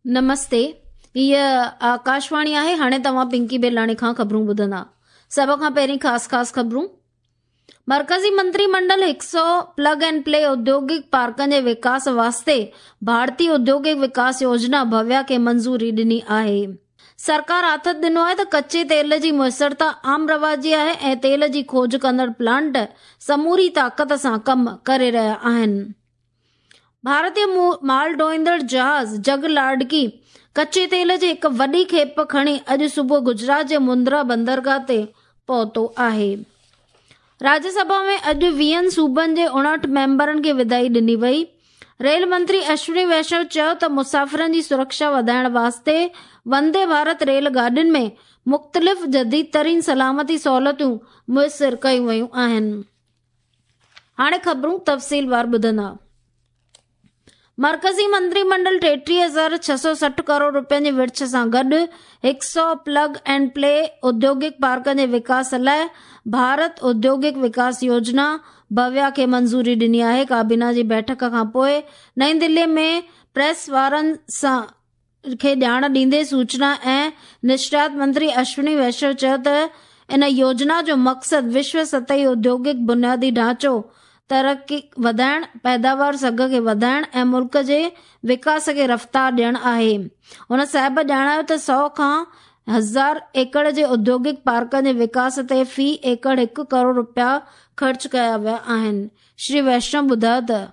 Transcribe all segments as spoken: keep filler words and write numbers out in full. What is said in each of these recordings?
नमस्ते, हीअ आकाशवाणी आहे। हाणे तव्हां पिंकी बेलाणी खां ख़बरूं ॿुधंदा। सभ खां पहिरीं ख़ासि ख़ासि ख़बरूं। मरकज़ी मंत्री मंडल हिकु सौ प्लग एंड प्ले औद्योगिक पार्कनि जे विकास वास्ते भारतीय औद्योगिक विकास योजना भव्या खे मंज़ूरी ॾिनी आहे। सरकार आथत ॾिनो आहे त कच्चे तेल जी मुयसरता आम रवाजी आहे ऐं तेल जी खोज कंदड़ प्लांट समूरी ताक़त सां कमु करे रहिया आहिनि। भारतीय माल ढोईंदड़ जहाज़ जग लाडकी कच्चे तेल जी हिकु वॾी खेप खणी अॼु सुबुह गुजरात जे मुंद्रा बंदरगाह ते पहुतो आहे। राज्यसभा में अॼु वीहनि सूबनि जे उणहठि मेंबरनि खे विदाई ॾिनी वई। रेल मंत्री अश्विनी वैष्णव चयो त मुसाफ़िरनि जी सुरक्षा वधाइण वास्ते वंदे भारत रेल गाॾियुनि में मुख़्तलिफ़ जदीद तरीन सलामती सहूलियतूं मुयसिर कयूं वयूं आहिनि। हाणे ख़बरूं तफ़सीलवार ॿुधंदा। मरकज़ी मंत्रीमंडल टेटीह हज़ार छह सौ सठि करोड़ रुपयनि जी विर्छ सां गॾु हिकु सौ प्लग एंड प्ले औद्योगिक पार्कनि जे विकास लाइ भारत औद्योगिक विकास योजना भव्या खे मंज़ूरी ॾिनी आहे। काबीना जी बैठक खां पोइ नई दिल्ली में प्रेस वारनि सां खे ॼाण ॾींदे सूचना ऐं निशरियात मंत्री अश्विनी वैष्णव चयो त इन योजना जो मक़सदु विश्व सतही औद्योगिक बुनियादी ढांचो तरक़ी वधाइण, पैदावार सघ खे वधाइण ऐं मुल्क जे विकास खे रफ़्तार ॾियणु आहे। हुन साहिब ॼाणायो त सौ खां हज़ार एकड़ जे औद्योगिक पार्कनि जे विकास ते फ़ी एकड़ हिकु करोड़ रुपया ख़र्च कया विया आहिनि। श्री वैष्णव ॿुधायो त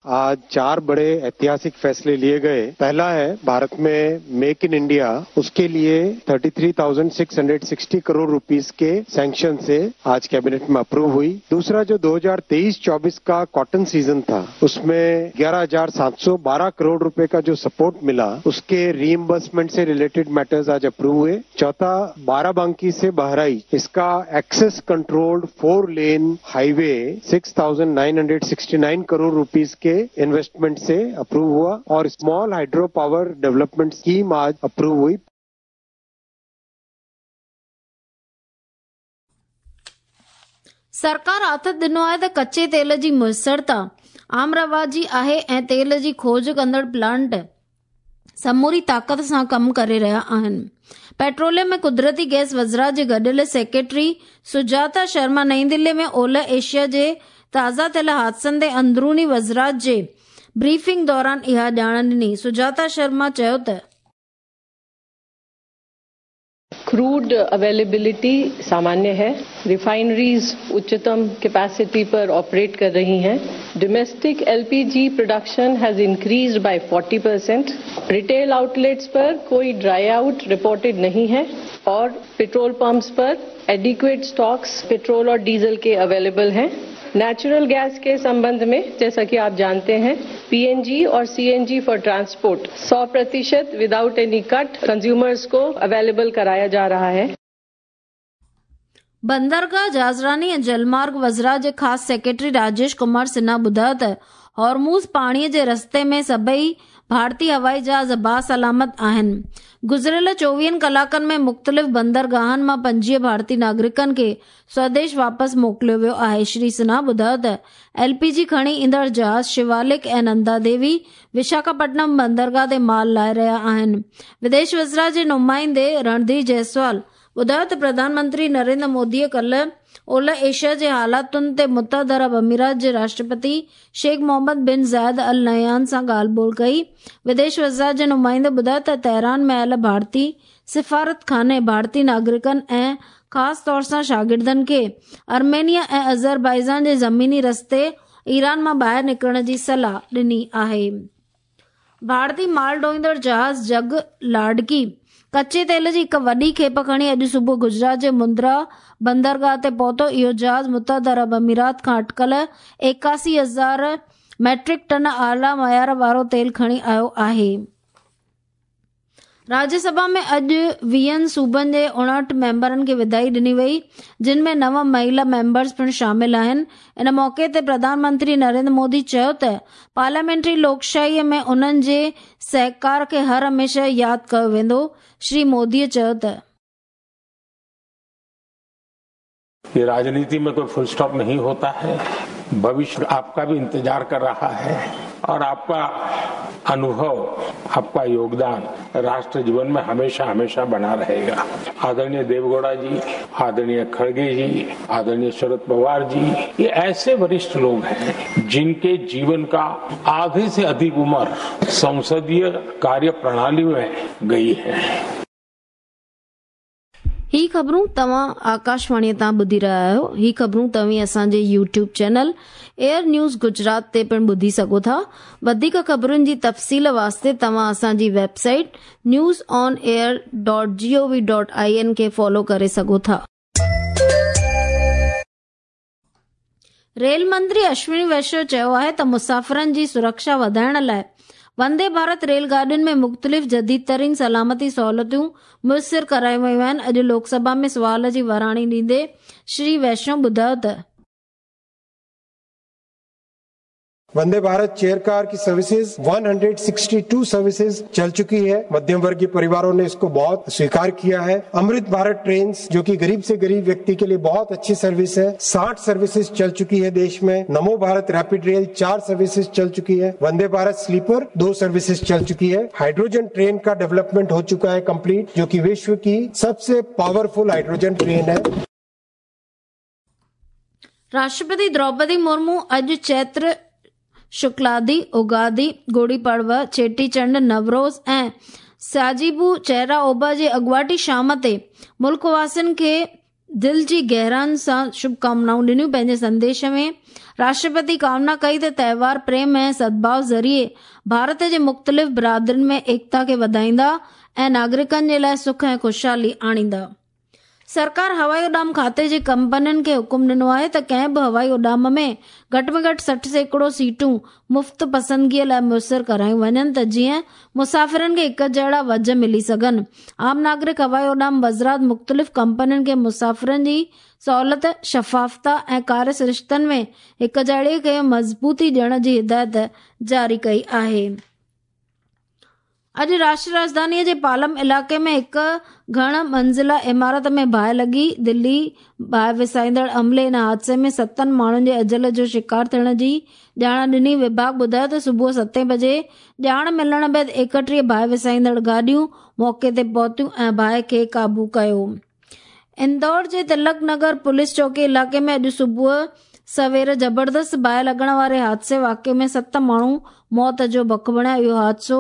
आज चार बड़े ऐतिहासिक फैसले लिए गए। पहला है भारत में मेक इन इंडिया, उसके लिए तैंतीस हज़ार छह सौ साठ करोड़ रुपीस के सैंक्शन से आज कैबिनेट में अप्रूव हुई। दूसरा, जो दो हज़ार तेईस चौबीस का कॉटन सीजन था उसमें ग्यारह हज़ार सात सौ बारह करोड़ रुपए का जो सपोर्ट मिला उसके रीइंबर्समेंट से रिलेटेड मैटर्स आज अप्रूव हुए। चौथा, बाराबंकी से बहराइच, इसका access controlled four lane highway six thousand nine hundred sixty nine crore rupees के इन्वेस्टमेंट से अप्रूव हुआ और small hydro power development scheme आज अप्रूव हुई। सरकार आथत ॾिनो आहे त कच्चे तेल जी मुयसरता आम रवाजी आहे ऐं तेल जी खोज कंदड़ प्लांट समूरी ताक़त सां कमु करे रहिया आहिनि। पेट्रोलियम ऐं कुदरती गैस वज़रात जे गॾियल सेक्रेटरी सुजाता शर्मा नई दिल्ली में ओलह एशिया जे ताज़ा थियल हादसनि ते अंदरूनी वज़रात जे ब्रीफिंग दौरान इहा ॼाण ॾिनी। सुजाता शर्मा चयो त क्रूड अवेलेबिलिटी सामान्य है, रिफाइनरीज उच्चतम कैपेसिटी पर ऑपरेट कर रही हैं, domestic LPG production has increased by चालीस परसेंट, रिटेल आउटलेट्स पर कोई ड्राई आउट रिपोर्टेड नहीं है और पेट्रोल पंप्स पर एडिक्वेट स्टॉक्स पेट्रोल और डीजल के अवेलेबल हैं। नेचुरल गैस के संबंध में जैसा कि आप जानते हैं पीएनजी और सीएनजी फॉर ट्रांसपोर्ट सौ प्रतिशत विदाउट एनी कट कंज्यूमर्स को अवेलेबल कराया जा रहा है। बंदरगाह जहाज़रानी ऐं जलमार्ग वज़रात जे ख़ासि सेक्रेटरी राजेश कुमार सिन्हा ॿुधायो त हॉर्मूज़ पाणीअ जे रस्ते में सभई भारतीय हवाई जहाज़ बासलामत आहिनि। गुज़िरियल चोवीहनि कलाकनि में मुख़्तलिफ़ बंदरगाहनि मां पंजवीह भारतीय नागरिकनि खे स्वदेश वापसि मोकिलियो वियो आहे। श्री सिन्हा ॿुधायो त एलपीजी खणी ईंदड़ जहाज़ शिवालिक ऐं नंदा देवी विशाखापट्टनम बंदरगाह ते माल लाहे रहिया आहिनि। विदेश वज़रात जे नुमाइंदे रणधीर जायसवाल ॿुधायो त प्रधानमंत्री नरेंद्र मोदीअ कल्ह ओलह एशिया जे हालातुनि ते मुत्तहिद अरब अमीरात जे राष्ट्रपति शेख मोहम्मद बिन ज़ायद अल नहयान सां ॻाल्हि ॿोल कई। विदेश वज़ारत जे नुमाइंदे ॿुधायो त तेहरान में आयल भारतीय सिफारत खाने भारतीय नागरिकनि ऐं ख़ासि तौर सां शागिर्दनि खे आर्मेनिया ऐं अज़रबैजान जे ज़मीनी रस्ते ईरान मां ॿाहिरि निकिरण जी सलाह ॾिनी आहे। भारतीय माल ढोईंदड़ जहाज़ जग लाडकी कच्चे तेल जी हिकु वॾी खेप खणी अॼु सुबुह गुजरात जे मुंद्रा बंदरगाह ते पहुतो। इहो जहाज़ मुत्तहिद अरब अमीरात खां अटकल एकासी हज़ार मैट्रिक टन आला मयार वारो तेल खणी आयो आहे। राज्यसभा में अॼु वीहनि सूबनि जे उणहठि मेंबरनि खे विदाई ॾिनी वई, जिन में नव महिला मेंबर्स पिणु शामिल आहिनि। इन मौक़े ते प्रधानमंत्री नरेंद्र मोदी चयो त पार्लियामेंट्री लोकशाहीअ में उन्हनि जे सहकार खे हर हमेशह यादि कयो वेंदो। श्री मोदीअ चयो त ये राजनीति में कोई फुल स्टॉप नहीं होता है, भविष्य आपका भी इंतजार कर रहा है और आपका अनुभव, आपका योगदान राष्ट्र जीवन में हमेशा हमेशा बना रहेगा। आदरणीय देवगौड़ा जी, आदरणीय खड़गे जी, आदरणीय शरद पवार जी, ये ऐसे वरिष्ठ लोग हैं जिनके जीवन का आधे से अधिक उम्र संसदीय कार्य प्रणाली में गई है। ही ख़बरूं तव्हां आकाशवाणीअ तां ॿुधी रहिया आहियो। ही ख़बरूं तव्हीं असांजे YouTube channel AIR news Gujarat ते पिणु ॿुधी सघो था। वधीक ख़बरुनि जी तफ़सील वास्ते तव्हां असांजी website news on air dot G O V dot I N खे फॉलो करे सघो था। रेल मंत्री अश्विनी वैष्णव चयो आहे त मुसाफ़िरनि जी सुरक्षा वधाइण लाइ वंदे भारत रेलगाॾियुनि में मुख़्तलिफ़ जदीद तरीन सलामती सहूलियतूं मुयसिर करायूं वयूं आहिनि। अॼु लोकसभा में सुवाल जी वराणी ॾींदे श्री वैष्णव ॿुधायो त वंदे भारत चेयर कार की सर्विसेज एक सौ बासठ सर्विसेज चल चुकी है। मध्यम वर्गीय परिवारों ने इसको बहुत स्वीकार किया है। अमृत भारत ट्रेन जो कि गरीब से गरीब व्यक्ति के लिए बहुत अच्छी सर्विस है, साठ सर्विसेज चल चुकी है देश में। नमो भारत रैपिड रेल चार सर्विसेज चल चुकी है। वंदे भारत स्लीपर दो सर्विसेज चल चुकी है। हाइड्रोजन ट्रेन का डेवलपमेंट हो चुका है कम्प्लीट, जो की विश्व की सबसे पावरफुल हाइड्रोजन ट्रेन है। राष्ट्रपति द्रौपदी मुर्मू अॼु चैत्र शुक्लादी, उगादी, गुड़ी पड़वा, चेटीचंड, नवरोज़ ऐं साजिबू चेहरा ओबा जे अॻुवाटी शाम ते मुल्क वासियुनि खे दिलि जी गहराइयुनि सां शुभकामनाऊं ॾिनियूं। पंहिंजे संदेश में राष्ट्रपति कामना कई त त्योहार प्रेम ऐं सद्भाव ज़रिए भारत जे मुख़्तलिफ़ बिरादरियुनि में एकता खे वधाईंदा ऐं नागरिकनि जे लाइ सुख ऐं ख़ुशहाली आणींदा। सरकार हवाई उॾाम खाते जे कंपनियुनि खे हुकुम ॾिनो आहे त कंहिं बि हवाई उॾाम में घटि में घटि सठि सैकड़ो सीटूं मुफ़्त पसंदगीअ लाइ मुयसिर करायूं वञनि त जीअं मुसाफ़िरनि खे हिक जहिड़ा वज मिली सघनि। आम नागरिक हवाई उॾाम वज़रात मुख़्तलिफ़ कंपनियुनि खे मुसाफ़िरनि जी सहूलियत, शफ़ाफ़ता ऐं कार्य सरिश्तनि में हिक जहिड़े खे मज़बूती ॾियण जी हिदायत जारी कई आहे। अॼु राष्ट्रीय राजधानीअ जे पालम इलाइक़े में हिकु घण मंज़िला इमारत में बाहि लॻी। दिल्ली बाहि विसाईंदड़ अमले इन हादसे में सतनि माण्हुनि जे अजल जो शिकार थियण जी ॼाण ॾिनी। विभाग ॿुधायो त सुबुह सते बजे ॼाण मिलण बाद एकटीह बाहि विसाईंदड़ गाॾियूं मौक़े ते पहुतियूं ऐं बाहि खे क़ाबू कयो। इंदौर जे तिलक नगर पुलिस चौकी इलाइक़े में अॼु सुबुह सवेर ज़बरदस्त बाहि लॻण वारे हादसे वाक़िए में सत माण्हू मौत जो बक बणिया। इहो हादसो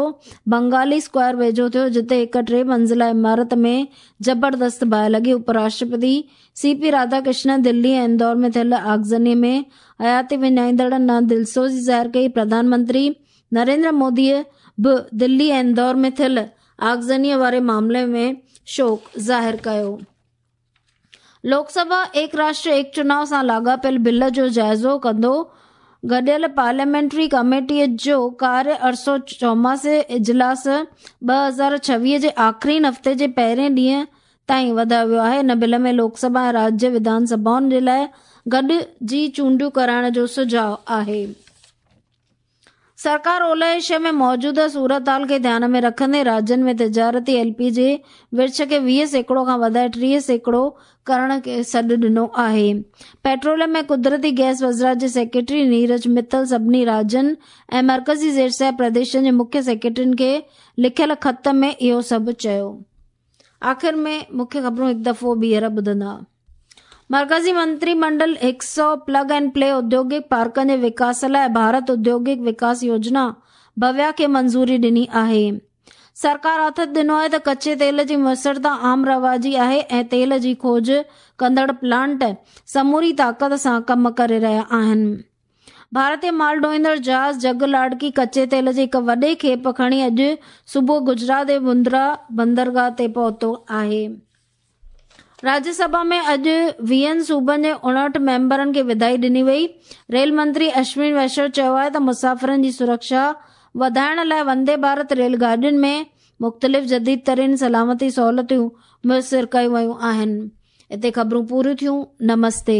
बंगाली स्क्वायर वेझो थियो, जिते हिकु टे मंज़िला इमारत में ज़बरदस्त बाहि लॻी। उपराष्ट्रपति सी पी राधाकृष्णन दिल्ली ऐं इंदौर में थियल आगज़नी में हयाती विञाईंदड़नि ॾांहुं दिलसोज़ी ज़ाहिर कई। प्रधानमंत्री नरेंद्र मोदीअ बि दिल्ली ऐं इंदौर में थियल आगज़नीअ वारे मामले में शोक ज़ाहिर कयो। लोकसभा एक राष्ट्र एक चुनाव सां लाॻापियल बिल जो जाइज़ो कंदो। गॾियल पार्लियामेंट्री कमेटीअ जो कार्य अरसो चौमासे इजलास ॿ हज़ार छवीह जे आख़िरी हफ़्ते जे पहिरें ॾींहं ताईं वधायो वियो आहे। हिन बिल में लोकसभा ऐं राज्य विधानसभाउनि जे लाइ गॾिजी चूंडियूं कराइण जो सुझाव आहे। सरकार ओलह एशिया में मौजूदा सूरत हाल खे ध्यान में रखंदे राज्यनि में तिजारती एल पी जी विर्छ खे वीह सैकड़ो खां वधाए टीह सैकड़ो करण खे सॾु ॾिनो आहे। पेट्रोलियम ऐं कुदरती गैस वज़ारत जे सेक्रेटरी नीरज मित्तल सभिनी राज्यनि ऐं मर्कज़ी ज़ेर प्रदेशनि जे मुख्य सेक्रेटरियुनि खे लिखियल ख़त में इहो सभु चयो। आख़िर में मुख्य ख़बरूं हिकु दफ़ो ॿीहर ॿुधंदा। मर्कज़ी मंत्रीमंडल हिकु सौ प्लग एंड प्ले औद्योगिक पार्कनि जे विकास लाइ भारत औद्योगिक विकास योजना भव्या खे मंज़ूरी ॾिनी आहे। सरकार आथत ॾिनो आहे त कच्चे तेल जी मुयसिरता आम रवाजी आहे ऐं तेल जी खोज कंदड़ प्लांट समूरी ताक़त सां कमु करे रहिया आहिनि। भारतीय माल ढोईंदड़ जहाज़ जग लाड़की कच्चे तेल जी हिकु वॾे खेप खणी अॼु सुबुह गुजरात जे मुंद्रा बंदरगाह ते पहुतो आहे। राज्यसभा में अॼु वीहनि सूबनि जे उणहठि मेंबरनि खे विदाई ॾिनी वई। रेल मंत्री अश्विनी वैष्णव चयो आहे त मुसाफ़िरनि जी सुरक्षा वधाइण लाइ वंदे भारत रेलगाॾियुनि में मुख़्तलिफ़ जदीद तरीन सलामती सहूलियतूं मुयसिर कयूं वयूं आहिनि। हिते ख़बरूं पूरियूं थियूं। नमस्ते।